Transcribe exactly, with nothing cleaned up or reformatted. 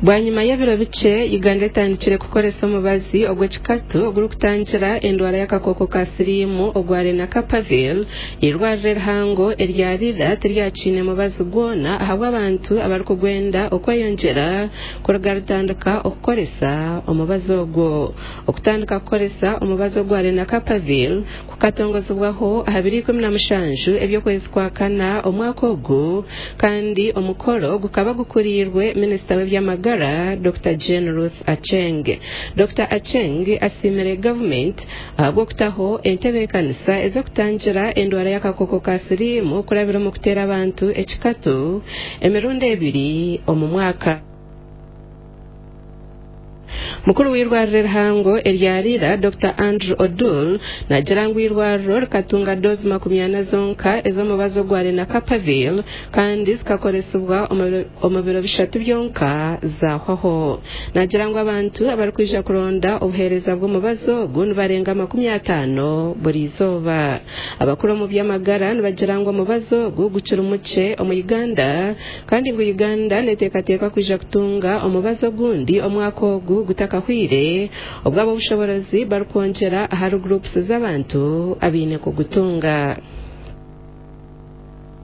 Bwanyima y'ebiro bikye, Uganda etandikire kukoresa omubazi ogw'ekikatu ogurikutangira endwara y'akakooko ka siriimu ogwa Lenacapavir. Eirwariro erihango erya Lira tiryakiine mubazi gwona ahabw'abantu abarikugwenda okweyongyera kuruga rutandika okukoresa omubazi ogwo. Okutandika kukoresa omubazi ogwa Lenacapavir kukatongozibwaho aha biro ikumi na mushanju eby'okwezi kwa kana omwaka ogu, kandi omukoro gukaba gukuriirwe minisita w'eby'amagara Dokita Jane Ruth Aceng. Dokita Aceng asiimire gavumenti ahabw'okutaho entebeekanisa ez'okutangira endwara y'akakooko ka siriimu kurabira omu kuteera abantu ekikatu emirundi ebiri omu mwaka. Mukuru w'eirwariro erihango erya Lira, Dokita Andrew Odul, naagira ngu eirwariro rikatunga doozi makumi ana zonka ez'omubazi ogwa Lenacapavir, kandi zikakoresibwa omu biro bishatu byonka zaahwaho. Naagira ngu abantu abarikwija kuronda obuheereza bw'omubazi ogu nibarenga makumi ataano buri izooba. Abakuru omu by'amagara nibagira ngu omubazi ogu gukiri mukye omu Uganda, kandi ngu Uganda neteekateekwa kwija kutunga omubazi ogundi omwaka ogu gutakahwire, obwo ab'obushoboorozi barikwongyera ahari gurupusi z'abantu abaine kugutunga.